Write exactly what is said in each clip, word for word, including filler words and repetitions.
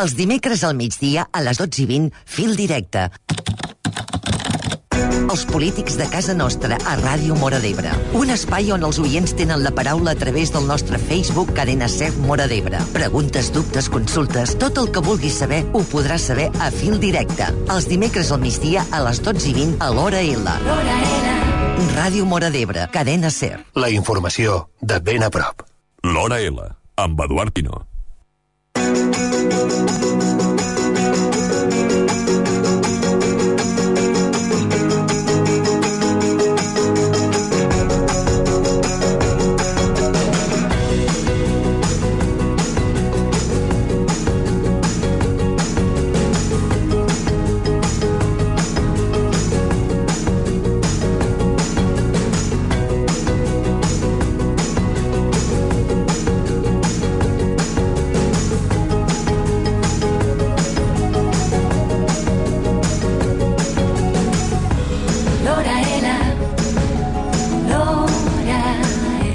Els dimecres al migdia, a les dotze i vint, Fil Directe. Els polítics de casa nostra a Ràdio Móra d'Ebre. Un espai on els oients tenen la paraula a través del nostre Facebook Cadena Ser Móra d'Ebre. Preguntes, dubtes, consultes, tot el que vulguis saber ho podràs saber a Fil Directe. Els dimecres al migdia a les dotze i vint a l'Hora L. Ràdio Móra d'Ebre, Cadena Ser. La informació de ben a prop. L'Hora L, amb Eduard Pino.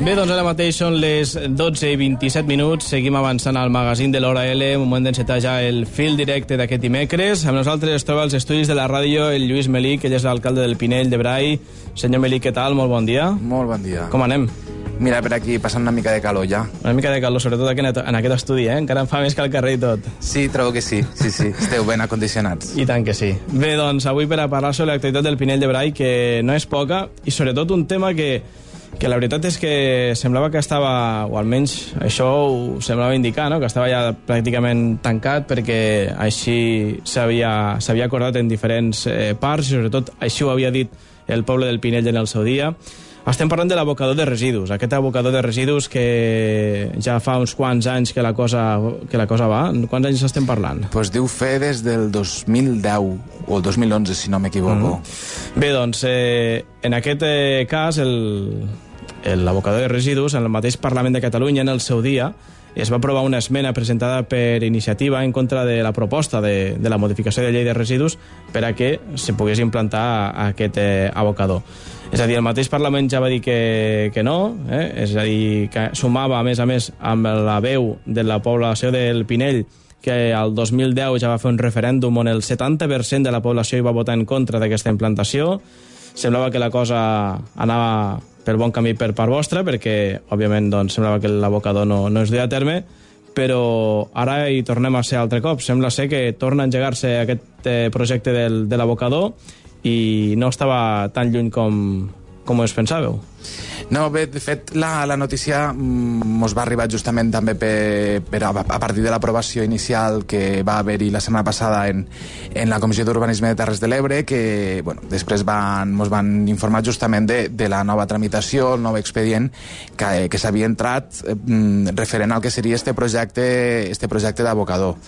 Bé, doncs ara mateix són les dotze i vint-i-set minuts. Seguim avançant al magazín de l'Hora L. Un moment d'encetar ja el fil directe d'aquest dimecres. Amb nosaltres es troba als estudis de la ràdio el Lluís Melí, que ell és l'alcalde del Pinell de Brai. Senyor Melí, què tal? Molt bon dia. Molt bon dia. Com anem? Mira, per aquí passant una mica de calor ja. Una mica de calor, sobretot aquí en aquest estudi, eh? Encara em fa més que al carrer i tot. Sí, trobo que sí. Sí, sí. Esteu ben acondicionats. I tant que sí. Bé, doncs, avui per a parlar sobre l'actualitat del Pinell de Brai, que no és poca, i sobretot un tema que... que la veritat és que semblava que estava, o almenys això ho semblava indicar, no? Que estava ja pràcticament tancat perquè així s'havia acordat en diferents eh, parts i sobretot així ho havia dit el poble del Pinell en el seu dia. Estem parlant de l'abocador de residus, aquest abocador de residus que ja fa uns quants anys que la cosa, que la cosa va. Quants anys estem parlant? Pues diu fer des del dos mil deu o el dos mil onze, si no m'equivoco. Mm. Bé, doncs, eh, en aquest eh, cas, el... l'abocador de residus, en el mateix Parlament de Catalunya, en el seu dia, es va aprovar una esmena presentada per iniciativa en contra de la proposta de, de la modificació de llei de residus per a que se pogués implantar aquest eh, abocador. És a dir, el mateix Parlament ja va dir que, que no, eh? És a dir, que sumava, a més a més, amb la veu de la població del Pinell, que al dos mil deu ja va fer un referèndum on el setanta per cent de la població hi va votar en contra d'aquesta implantació. Semblava que la cosa anava per bon camí per part vostra, perquè, òbviament, doncs, semblava que l'abocador no, no es duia a terme, però ara hi tornem a ser altre cop. Sembla ser que torna a engegar-se aquest eh, projecte del, de l'abocador i no estava tan lluny com, com us pensàveu. No, bé, de fet, la, la notícia mos va arribar justament també per, per a, a partir de l'aprovació inicial que va haver-hi la setmana passada en, en la Comissió d'Urbanisme de Terres de l'Ebre, que bueno, després van, mos van informar justament de, de la nova tramitació, el nou expedient que, que s'havia entrat eh, referent al que seria este projecte, este projecte d'abocador.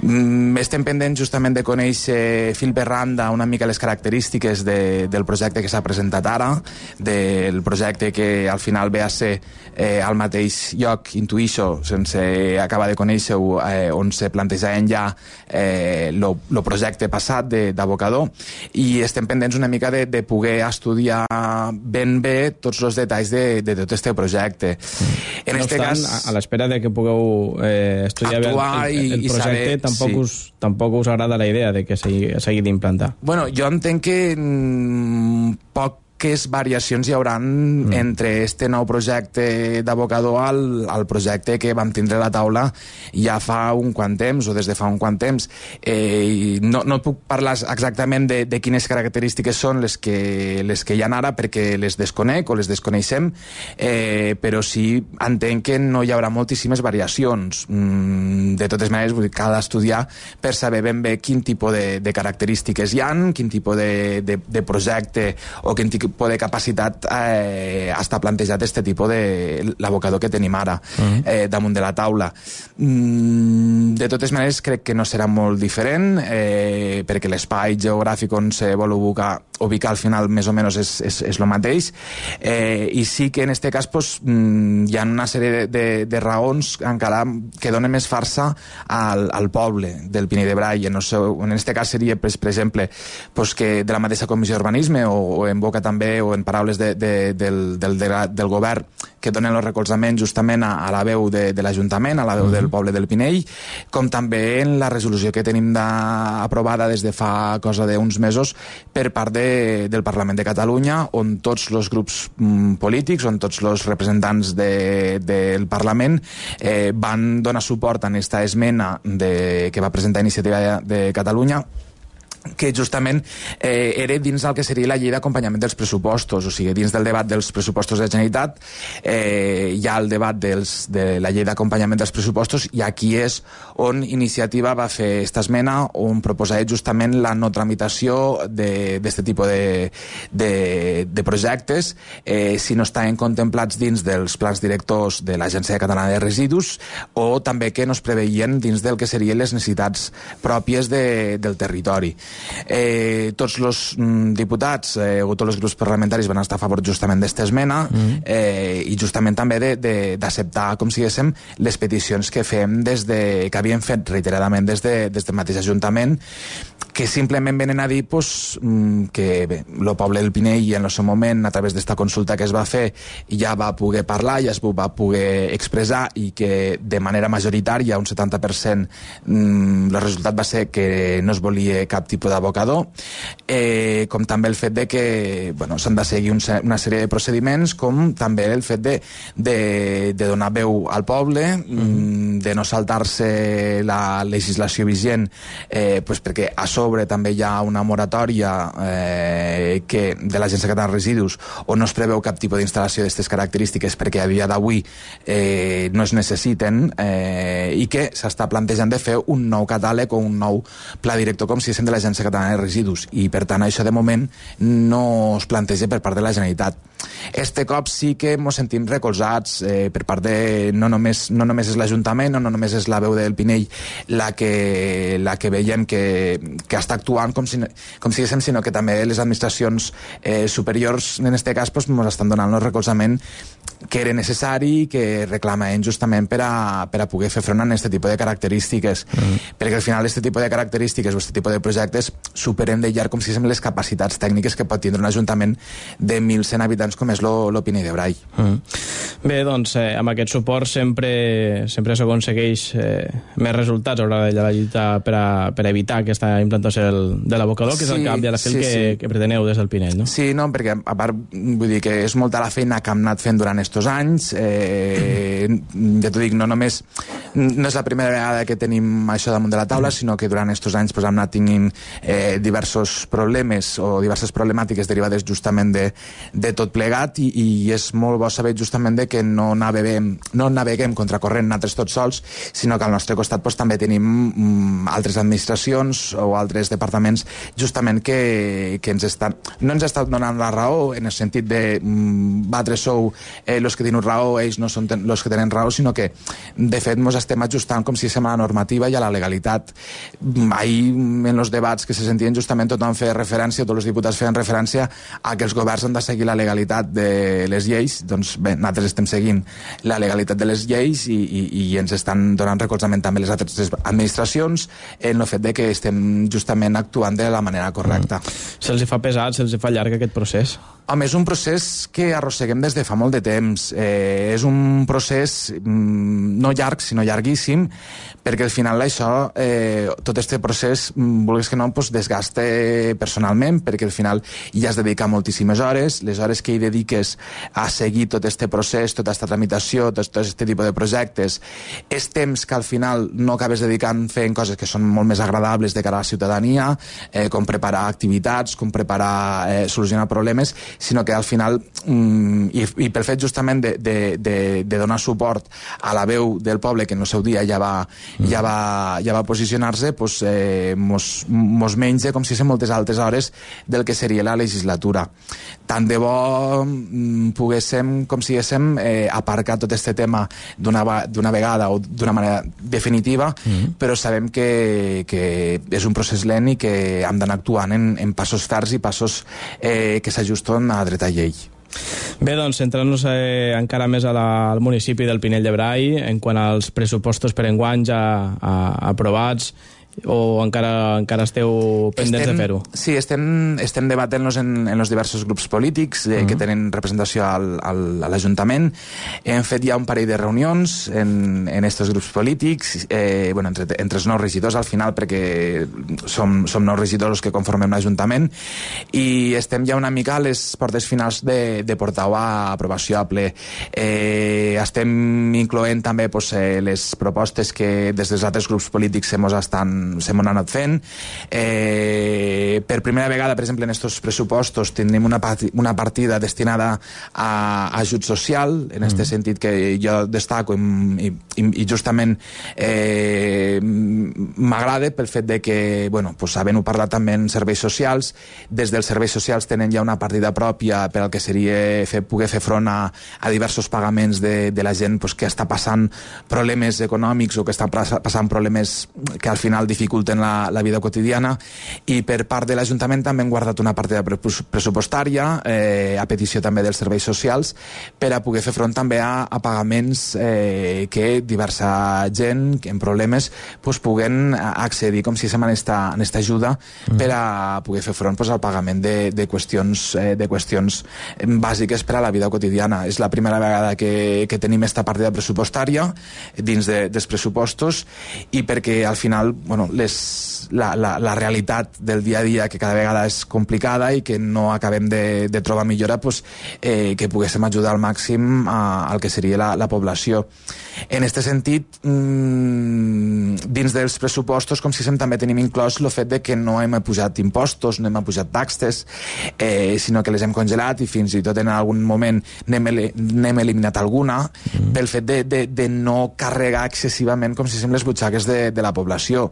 Mm, estem pendents justament de conèixer fil per randa una mica les característiques de, del projecte que s'ha presentat ara, del projecte que al final ve a ser eh, al mateix lloc, intuïixo, sense acabar de conèixer-ho, eh, on se plantejaven ja el eh, projecte passat d'abocador, i estem pendents una mica de, de poder estudiar ben bé tots els detalls de, de tot este projecte. Mm. En no este obstant, cas, a l'espera de que pugueu eh, estudiar bé el, el, el projecte, saber, tampoc, sí. us, tampoc us agrada la idea de que s'hagi d'implantar. Bueno, jo entenc que mm, poc quines variacions hi hauran mm. entre este nou projecte d'abocador al, al projecte que vam tindre a la taula ja fa un quant temps, o des de fa un quant temps. Eh, no, no puc parlar exactament de, de quines característiques són les que, les que hi ha ara, perquè les desconec o les desconeixem, eh, però sí entenc que no hi haurà moltíssimes variacions. Mm, de totes maneres, vull dir, cal estudiar per saber ben bé quin tipus de, de característiques hi ha, quin tipus de, de, de projecte o quin tipus de capacitat eh, està plantejat este tipus de l'abocador que tenim ara uh-huh. eh, damunt de la taula. Mm, de totes maneres, crec que no serà molt diferent, eh, perquè l'espai geogràfic on se vol ubicar, ubicar al final més o menys és, és, és el mateix, eh, i sí que en este cas pues, mm, hi ha una sèrie de, de, de raons encara que donen més farsa al, al poble del Pinell de Brai. En, el seu, en este cas seria, pues, per exemple, pues, que de la mateixa Comissió d'Urbanisme o, o en boca també també, o en paraules de, de, del, del, del govern, que donen el recolzament justament a, a la veu de, de l'Ajuntament, a la veu del poble del Pinell, com també en la resolució que tenim de, aprovada des de fa cosa d'uns mesos per part de, del Parlament de Catalunya, on tots els grups mm, polítics, on tots els representants de, del Parlament eh, van donar suport a aquesta esmena de, que va presentar Iniciativa de, de Catalunya, que justament eh, era dins el que seria la llei d'acompanyament dels pressupostos, o sigui, dins del debat dels pressupostos de la Generalitat eh, hi ha el debat dels, de la llei d'acompanyament dels pressupostos, i aquí és on Iniciativa va fer esta esmena on proposava justament la no tramitació d'aquest tipus de, de, de projectes eh, si no estaven contemplats dins dels plans directors de l'Agència Catalana de Residus, o també que no es preveien dins del que serien les necessitats pròpies de, del territori. Eh, tots els mm, diputats eh, o tots els grups parlamentaris van estar a favor justament d'esta esmena mm. eh, i justament també d'acceptar, com si diguéssim, les peticions que fem des de, que havíem fet reiteradament des, de, des del mateix Ajuntament, que simplement venen a dir pues, que bé, el poble del Pinell en el seu moment, a través d'esta consulta que es va fer, ja va poder parlar, ja es va poder expressar, i que de manera majoritària, un setanta per cent, mm, el resultat va ser que no es volia cap tipus d'abocador, eh, com també el fet de que bueno, s'han de seguir un, una sèrie de procediments, com també el fet de, de, de donar veu al poble, mm. de no saltar-se la legislació vigent, eh, pues perquè a sobre també hi ha una moratòria eh, que de l'Agència Catalana de Residus, on no es preveu cap tipus d'instal·lació d'aquestes característiques perquè a dia d'avui eh, no es necessiten, eh, i que s'està plantejant de fer un nou catàleg o un nou pla director, com si diguéssim, de l'Agència Catalana de Residus, i per tant això de moment no es planteja per part de la Generalitat. Este cop sí que ens sentim recolzats eh, per part de... No només, no només és l'Ajuntament, no, no només és la veu del Pinell la que, la que veiem que, que està actuant com si, com si diguéssim, sinó que també les administracions eh, superiors, en aquest cas, ens pues, estan donant el recolzament que era necessari, que reclamaven justament per a, per a poder fer front a aquest tipus de característiques, mm. perquè al final aquest tipus de característiques o aquest tipus de projectes superen de llarg, com si diguéssim, les capacitats tècniques que pot tindre un ajuntament de mil cent habitants com és lo, lo Pinell de Brai. Mm. Bé, doncs, eh, amb aquest suport sempre sempre s'aconsegueix eh, més resultats a l'hora de la lluita per, a, per a evitar aquesta implantació del, de l'abocador, que sí, és el cap i a la fil sí, que, sí. que preteneu des del Pinell, no? Sí, no, perquè a part, vull dir que és molta la feina que hem anat fent durant estos anys, eh, ja t'ho dic, no només no és la primera vegada que tenim això damunt de la taula, sinó que durant estos anys pues, hem anat tinguint eh, diversos problemes o diverses problemàtiques derivades justament de, de tot plegat, i, i és molt bo saber justament de que no naveguem, no naveguem contracorrent nosaltres tots sols, sinó que al nostre costat pues, també tenim mm, altres administracions o altres departaments justament que, que ens estan, no ens estan donant la raó en el sentit de mm, vosaltres sou eh, els que teniu raó, ells no són els que tenen raó, sinó que de fet ens estem ajustant com si sembla a la normativa i a la legalitat. Ahir en els debats que se sentien justament tothom feia referència, tots els diputats feien referència a que els governs han de seguir la legalitat de les lleis. Doncs bé, nosaltres estem seguint la legalitat de les lleis i, i, i ens estan donant recolzament també les altres administracions en el fet de que estem justament actuant de la manera correcta. Mm. Se'ls fa pesat, se'ls fa llarg aquest procés? Home, és un procés que arrosseguem des de fa molt de temps. Eh, és un procés mm, no llarg, sinó llarguíssim, perquè al final això, eh, tot aquest procés, vulguis que no, pues, desgasta personalment, perquè al final ja has de dedicar moltíssimes hores, les hores que hi dediques a seguir tot aquest procés, tota aquesta tramitació, tot aquest tipus de projectes, és temps que al final no acabes dedicant fent coses que són molt més agradables de cara a la ciutadania, eh, com preparar activitats, com preparar, eh, solucionar problemes, sinó que al final, mm, i, i pel fet justament de, de, de, de donar suport a la veu del poble, que en el seu dia ja va, mm. ja va, ja va posicionar-se, pues, eh, mos, mos menja com si són moltes altres hores del que seria la legislatura. Tant de bo mm, poguéssim, com si diguéssim, eh, aparcar tot aquest tema d'una vegada o d'una manera definitiva, mm. però sabem que, que és un procés lent i que hem d'anar actuant en, en passos ferms i passos eh, que s'ajusten a dreta llei. Bé, doncs, centrant-nos eh, encara més a la, al municipi del Pinell de Brai, en quant als pressupostos per enguany ja a, aprovats o encara, encara esteu pendents estem, de fer-ho? Sí, estem, estem debatent-nos en, en els diversos grups polítics eh, uh-huh. que tenen representació al, al, a l'Ajuntament. Hem fet ja un parell de reunions en, en estos grups polítics, eh, bueno, entre, entre els nous regidors al final, perquè som, som nous regidors que conformem l'Ajuntament, i estem ja una mica a les portes finals de, de portar-ho a aprovació a ple. Eh, estem incloent també pues, eh, les propostes que des dels altres grups polítics se mos estan se m'han anat fent. Eh, per primera vegada, per exemple, en aquests pressupostos tindrem una, una partida destinada a, a ajut social, en aquest mm. sentit que jo destaco i, i, i justament eh, m'agrada pel fet de que, bueno, pues, havent-ho parlat també en serveis socials, des dels serveis socials tenen ja una partida pròpia per al que seria fer, poder fer front a, a diversos pagaments de, de la gent pues, que està passant problemes econòmics o que està passant problemes que al final dificulten la, la vida quotidiana, i per part de l'Ajuntament també hem guardat una partida pressupostària eh, a petició també dels serveis socials per a poder fer front també a, a pagaments eh, que diversa gent en problemes pues, puguen accedir com si se en esta, en esta ajuda mm. per a poder fer front pues, al pagament de, de, qüestions, eh, de qüestions bàsiques per a la vida quotidiana. És la primera vegada que, que tenim esta partida pressupostària dins de, dels pressupostos, i perquè al final bueno, les, la, la, la realitat del dia a dia, que cada vegada és complicada i que no acabem de, de trobar millora, pues, eh, que poguéssim ajudar al màxim a, al que seria la, la població. En aquest sentit, mmm, dins dels pressupostos, com si sem també tenim inclòs el fet de que no hem pujat impostos, no hem pujat taxes, eh, sinó que les hem congelat i fins i tot en algun moment n'hem, n'hem eliminat alguna, mm. pel fet de, de, de no carregar excessivament, com si sem, les butxaques de, de la població.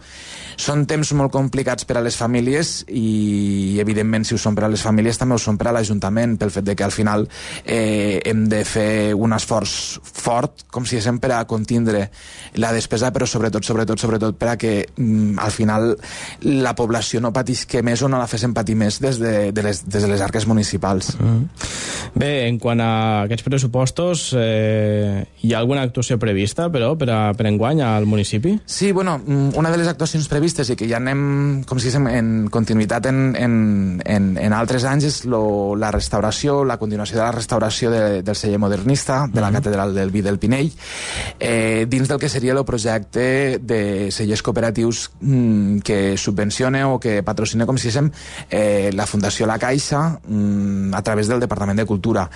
Són temps molt complicats per a les famílies i, evidentment, si ho són per a les famílies, també ho són per a l'Ajuntament, pel fet de que al final eh, hem de fer un esforç fort, com si sem, per a contindre la despesa, però sobretot, sobretot, sobretot per a que mm, al final la població no patisque més o no la fes patir més des de, de, les, des de les arques municipals. Mm. Bé, en quant a aquests pressupostos, eh, hi ha alguna actuació prevista, però, per, a, per enguany al municipi? Sí, bueno, una de les actuacions previstes i que ja anem, com si diguem, en continuïtat en, en, en, en altres anys és lo, la restauració, la continuació de la restauració de, del celler modernista, de la mm-hmm. catedral del Vi del Pinell, eh, dins del que seria el projecte de cellers cooperatius mm, que subvenciona o que patrocina, com si diguem, eh, la Fundació La Caixa mm, a través del Departament de Cultura.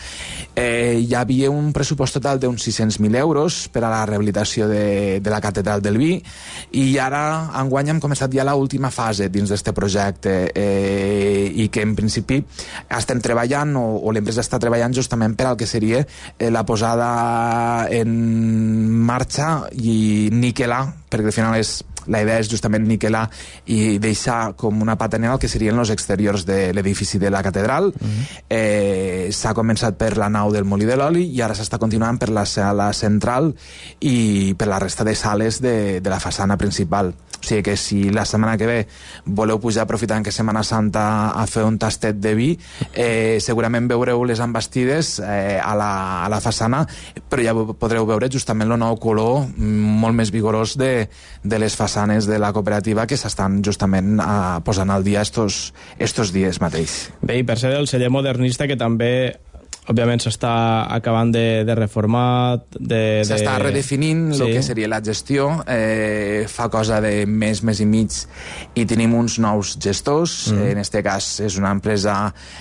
Eh, hi havia un pressupost total d'uns sis-cents mil euros per a la rehabilitació de, de la catedral del Vi, i ara enguany hem començat ja l'última fase dins d'aquest projecte eh, i que en principi estem treballant o, o l'empresa està treballant justament per al que seria eh, la posada en marxa i niquelar, perquè al final és la idea és justament niquelar i deixar com una patanera el que serien els exteriors de l'edifici de la catedral. Mm-hmm. eh, s'ha començat per la nau del Molí de l'Oli i ara s'està continuant per la sala central i per la resta de sales de, de la façana principal. O sigui que si la setmana que ve voleu pujar aprofitant que Setmana Santa a fer un tastet de vi, eh, segurament veureu les envestides eh, a, la, a la façana, però ja podreu veure justament el nou color molt més vigorós de, de les façanes de la cooperativa que s'estan justament a, posant al dia estos, estos dies mateix. Bé, i per ser el celler modernista, que també òbviament s'està acabant de, de reformar, de, s'està de... redefinint el sí. que seria la gestió, eh, fa cosa de mes, mes i mig, i tenim uns nous gestors. Mm. En este cas és una empresa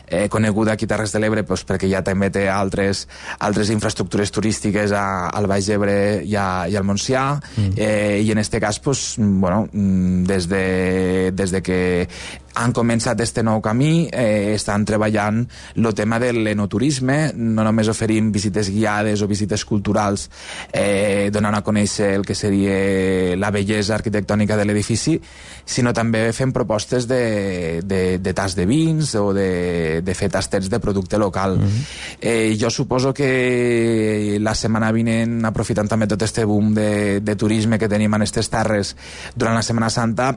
eh, coneguda aquí a Terres de l'Ebre, pues, perquè ja també té altres, altres infraestructures turístiques a, al Baix Ebre i, a, i al Montsià, mm. eh, i en este cas pues, bueno, des de, des de que han començat este nou camí, eh, estan treballant el tema de l'enoturisme, no només oferim visites guiades o visites culturals eh, donant a conèixer el que seria la bellesa arquitectònica de l'edifici, sinó també fem propostes de, de, de tas de vins o de, de fer tastets de producte local. Mm-hmm. eh, jo suposo que la setmana vinent, aprofitant també tot este boom de, de turisme que tenim en aquestes terres durant la Setmana Santa,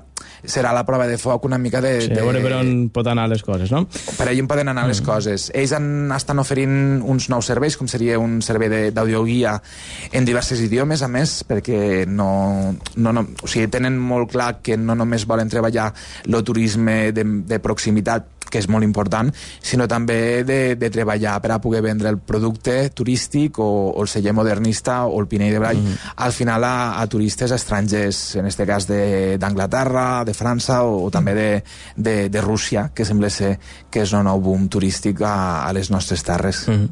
serà la prova de foc una mica de, sí. Sí, a veure per on pot anar les coses, no? Per allà poden anar les coses. Ells han, estan oferint uns nous serveis, com seria un servei de- d'audioguia en diversos idiomes, a més, perquè no, no, no, o sigui, tenen molt clar que no només volen treballar el turisme de, de proximitat, que és molt important, sinó també de, de treballar per a poder vendre el producte turístic o, o el celler modernista o el Pinell de Brai, mm -hmm. al final a, a turistes estrangers, en este cas d'Anglaterra, de, de França o, o també de, de, de Rússia, que sembla ser que és un nou boom turístic a, a les nostres terres. Mm -hmm.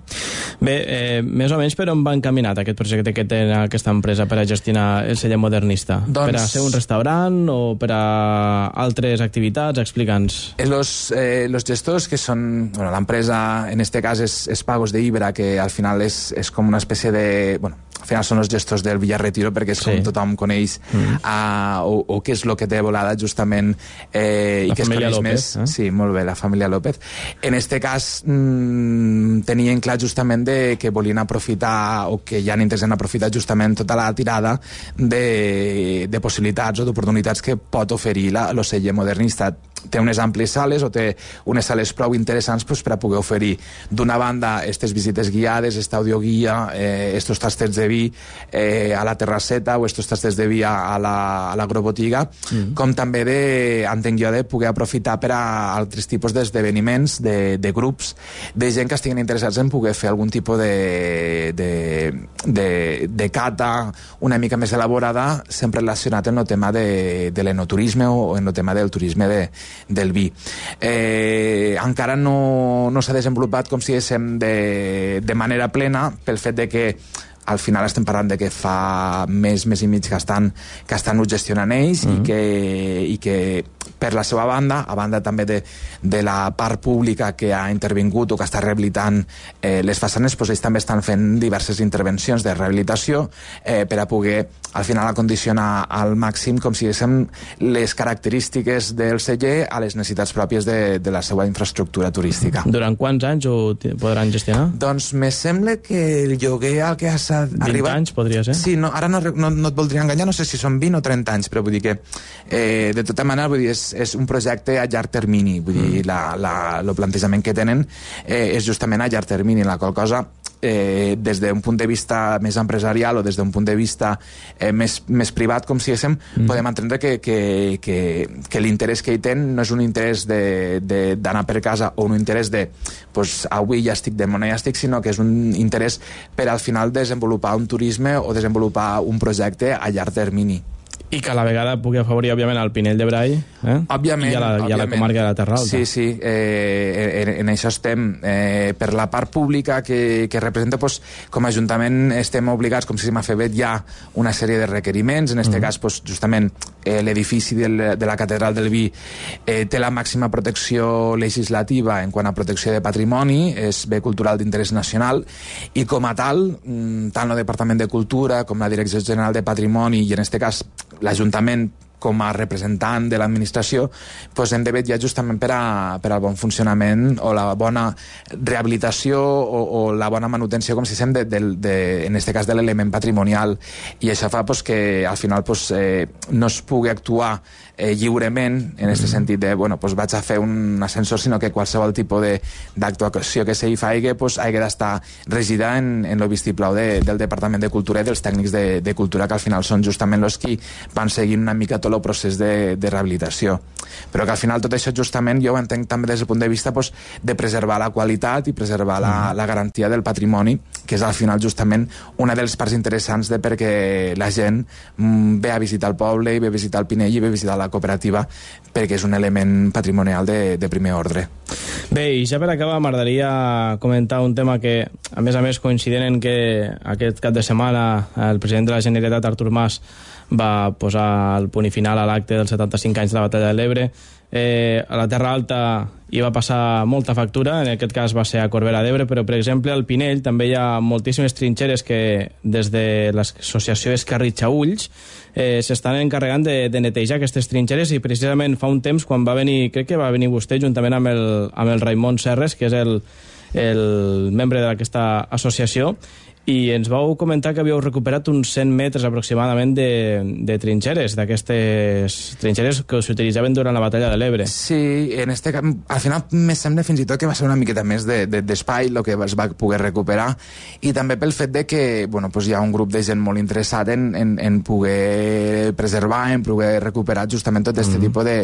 Bé, eh, més o menys per on va encaminat aquest projecte que té aquesta empresa per a gestionar el celler modernista? Doncs... Per a ser un restaurant o per a altres activitats? Explica'ns. Los, eh, los gestors que són, bueno, l'empresa en este cas és, és Pagos de Ibra, que al final és, és com una espècie de, bueno, al final són els gestors del Villar Retiro, perquè és sí. com tothom coneix mm. uh, o, o què és el que té volada justament eh, i la que es coneix López, més. Eh? Sí, molt bé, la família López. En este cas mmm, tenien clar justament de que volien aprofitar o que ja han intents en aprofitar justament tota la tirada de, de possibilitats o d'oportunitats que pot oferir la, l'oceller modernista. Té unes àmplies sales o té unes sales prou interessants pues, per a poder oferir d'una banda aquestes visites guiades, esta audioguia, eh, estos tasters de vi eh, a la terrasseta o estos tasters de vi a, la, a l'agrobotiga, mm. com també de, entenc jo, de poder aprofitar per a altres tipus d'esdeveniments, de, de grups, de gent que estiguin interessats en poder fer algun tipus de, de, de, de cata una mica més elaborada, sempre relacionat amb el tema de, de l'enoturisme o en el tema del turisme de del vi. Eh, encara no, no s'ha desenvolupat, com si diguéssim, de, de manera plena, pel fet de que al final estem parlant de que fa més, més i mig que estan, que estan ho gestionant ells mm -hmm. i, que, i que per la seva banda, a banda també de, de la part pública que ha intervingut o que està rehabilitant eh, les façanes, doncs ells també estan fent diverses intervencions de rehabilitació eh, per a poder al final acondicionar al màxim, com si diguéssim, les característiques del celler a les necessitats pròpies de, de la seva infraestructura turística. Durant quants anys ho podran gestionar? Doncs me sembla que el lloguer al que s'ha vint arribat... anys podria ser? Sí, no, ara no, no, no et voldria enganyar, no sé si són vint o trenta anys, però vull dir que eh, de tota manera vull dir, és, és un projecte a llarg termini, vull dir, la, la, el plantejament que tenen eh, és justament a llarg termini, la qual cosa eh, des d'un punt de vista més empresarial o des d'un punt de vista eh, més, més privat, com si diguéssim, mm. podem entendre que, que, que, que l'interès que hi tenen no és un interès d'anar per casa o un interès de pues, avui ja estic de mona ja estic, sinó que és un interès per al final desenvolupar un turisme o desenvolupar un projecte a llarg termini. I que a la vegada pugui afavorir, òbviament, el Pinell de Brai, eh? Òbviament, I a la, òbviament. I a la comarca de la Terra Alta. Sí, sí, eh, en, en això estem. Eh, per la part pública que, que representa, pues, com a Ajuntament estem obligats, com si m'ha fet ja una sèrie de requeriments, en aquest mm. cas, pues, justament, eh, l'edifici del, de la Catedral del Vi eh, té la màxima protecció legislativa en quant a protecció de patrimoni, és bé cultural d'interès nacional, i com a tal, tant el Departament de Cultura com la Direcció General de Patrimoni, i en aquest cas l'Ajuntament com a representant de l'administració, doncs hem de vetllar justament per, a, per al bon funcionament o la bona rehabilitació o, o la bona manutenció, com si diguem, de, de, de, en aquest cas de l'element patrimonial, i això fa doncs, que al final doncs, eh, no es pugui actuar eh, lliurement, en aquest sentit de, bueno, doncs vaig a fer un ascensor, sinó que qualsevol tipus d'actuació que s'hi faci doncs, hagi d'estar regida en, en el vistiplau de, del Departament de Cultura i dels tècnics de, de cultura, que al final són justament els qui van seguint una mica tot el procés de, de rehabilitació. Però que al final tot això justament jo ho entenc també des del punt de vista doncs, de preservar la qualitat i preservar la, la garantia del patrimoni, que és al final justament una de les parts interessants de perquè la gent mm, ve a visitar el poble i ve a visitar el Pinell i ve a visitar la cooperativa, perquè és un element patrimonial de, de primer ordre. Bé, i ja per acabar m'agradaria comentar un tema que, a més a més, coincident en que aquest cap de setmana el president de la Generalitat, Artur Mas, va posar el punt i final a l'acte dels setanta-cinc anys de la Batalla de l'Ebre. Eh, a la Terra Alta hi va passar molta factura, en aquest cas va ser a Corbera d'Ebre, però per exemple al Pinell també hi ha moltíssimes trinxeres que des de l'associació Escarritxaulls eh, s'estan encarregant de, de netejar aquestes trinxeres, i precisament fa un temps quan va venir, crec que va venir vostè juntament amb el, amb el Raimon Serres, que és el, el membre d'aquesta associació, I ens vau comentar que havíeu recuperat uns cent metres aproximadament de, de trinxeres, d'aquestes trinxeres que s'utilitzaven durant la batalla de l'Ebre. Sí, en este camp, al final me sembla fins i tot que va ser una miqueta més d'espai de, de, el que es va poder recuperar, i també pel fet de que bueno, pues hi ha un grup de gent molt interessat en, en, en poder preservar, en poder recuperar justament tot aquest mm. tipus de,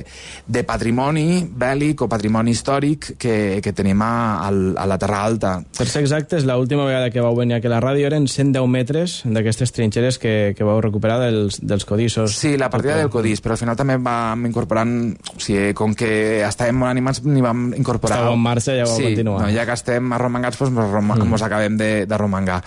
de patrimoni bèl·lic o patrimoni històric que, que tenim a, a la Terra Alta. Per ser exactes, l'última vegada que vau venir aquí a la ràdio eren cent deu metres d'aquestes trinxeres que, que vau recuperar dels, dels codissos. Sí, la partida del codís, però al final també vam incorporant, o sigui, com que estàvem molt animats, n'hi vam incorporar... Estàveu en marxa i ja vau sí, continuar. No, ja que estem arromangats, doncs mos, rom mm. mos acabem de, de romangar.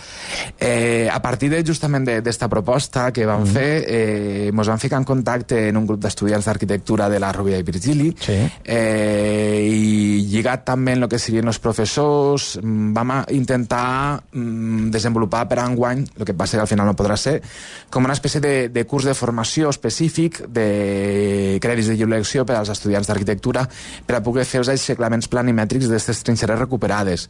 Eh, a partir de, justament d'esta proposta que vam mm. fer, eh, mos vam ficar en contacte en un grup d'estudiants d'arquitectura de la Rovira i Virgili, sí. eh, i lligat també en el que serien els professors, vam intentar mm, desenvolupar per enguany, el que passa que al final no podrà ser, com una espècie de, de curs de formació específic de crèdits de lliure elecció per als estudiants d'arquitectura per a poder fer els aixeclaments planimètrics d'aquestes trinxeres recuperades.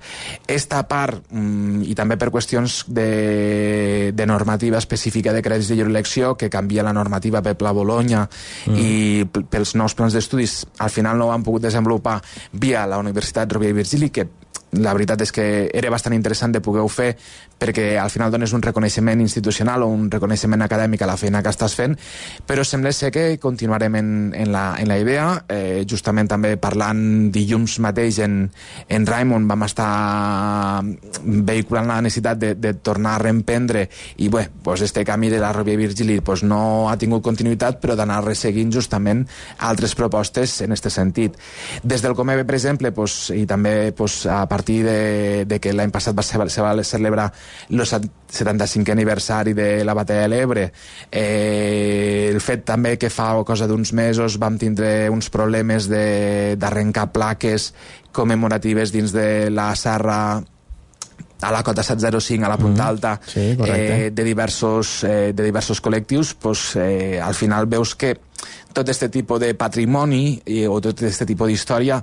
Esta part, i també per qüestions de, de normativa específica de crèdits de lliure elecció, que canvia la normativa pel Pla Bologna mm. i pels nous plans d'estudis, al final no ho han pogut desenvolupar via la Universitat Rovira i Virgili, que la veritat és que era bastant interessant de poder-ho fer perquè al final dones un reconeixement institucional o un reconeixement acadèmic a la feina que estàs fent, però sembla ser que continuarem en, en, la, en la idea. Eh, justament també parlant dilluns mateix en, en Raimon vam estar vehiculant la necessitat de, de tornar a reemprendre i bé, pues este camí de la Rovira i Virgili pues no ha tingut continuïtat, però d'anar resseguint justament altres propostes en aquest sentit. Des del Comebe, per exemple, pues, i també pues, a partir de, de que l'any passat va ser, se va celebrar el setanta-cinquè aniversari de la batalla de l'Ebre, eh, el fet també que fa cosa d'uns mesos vam tindre uns problemes d'arrencar plaques commemoratives dins de la serra a la cota set zero cinc, a la Punta Alta, mm, sí, eh, de, diversos, eh, de diversos col·lectius, pues, eh, al final veus que tot aquest tipus de patrimoni eh, o tot aquest tipus d'història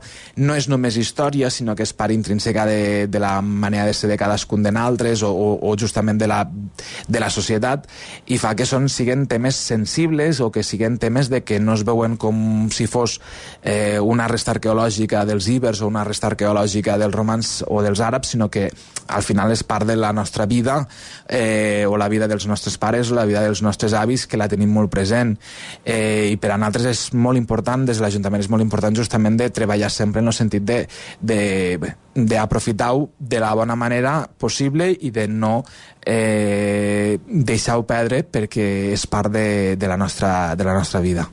no és només història, sinó que és part intrínseca de, de la manera de ser de cadascun de nosaltres o, o, o justament de la, de la societat, i fa que són, siguen temes sensibles o que siguen temes de que no es veuen com si fos eh, una resta arqueològica dels ibers o una resta arqueològica dels romans o dels àrabs, sinó que al final és part de la nostra vida eh, o la vida dels nostres pares o la vida dels nostres avis, que la tenim molt present, eh, i per a nosaltres és molt important, des de l'Ajuntament és molt important justament de treballar sempre en el sentit de, de, d'aprofitar-ho de la bona manera possible i de no eh, deixar-ho perdre, perquè és part de, de, la nostra, de la nostra vida.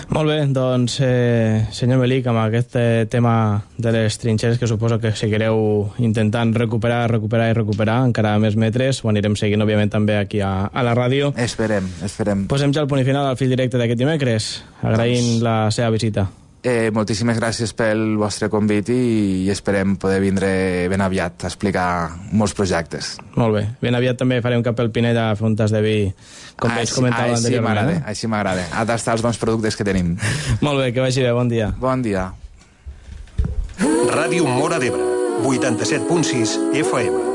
Molt bé, doncs, eh, senyor Melic, amb aquest eh, tema de les trinxeres, que suposo que seguireu intentant recuperar, recuperar i recuperar encara més metres, ho anirem seguint, òbviament, també aquí a, a la ràdio. Esperem, esperem. Posem ja el punt i final al fil directe d'aquest dimecres, agraint doncs la seva visita. Eh, moltíssimes gràcies pel vostre convit i, i esperem poder vindre ben aviat a explicar molts projectes. Molt bé. Ben aviat també farem cap al Pinell a fer un tas de vi, com ah, vaig comentar anteriorment. Eh? Així m'agrada, a tastar els bons productes que tenim. Molt bé, que vagi bé, bon dia. Bon dia. Ràdio Móra d'Ebre, vuitanta-set punt sis F M.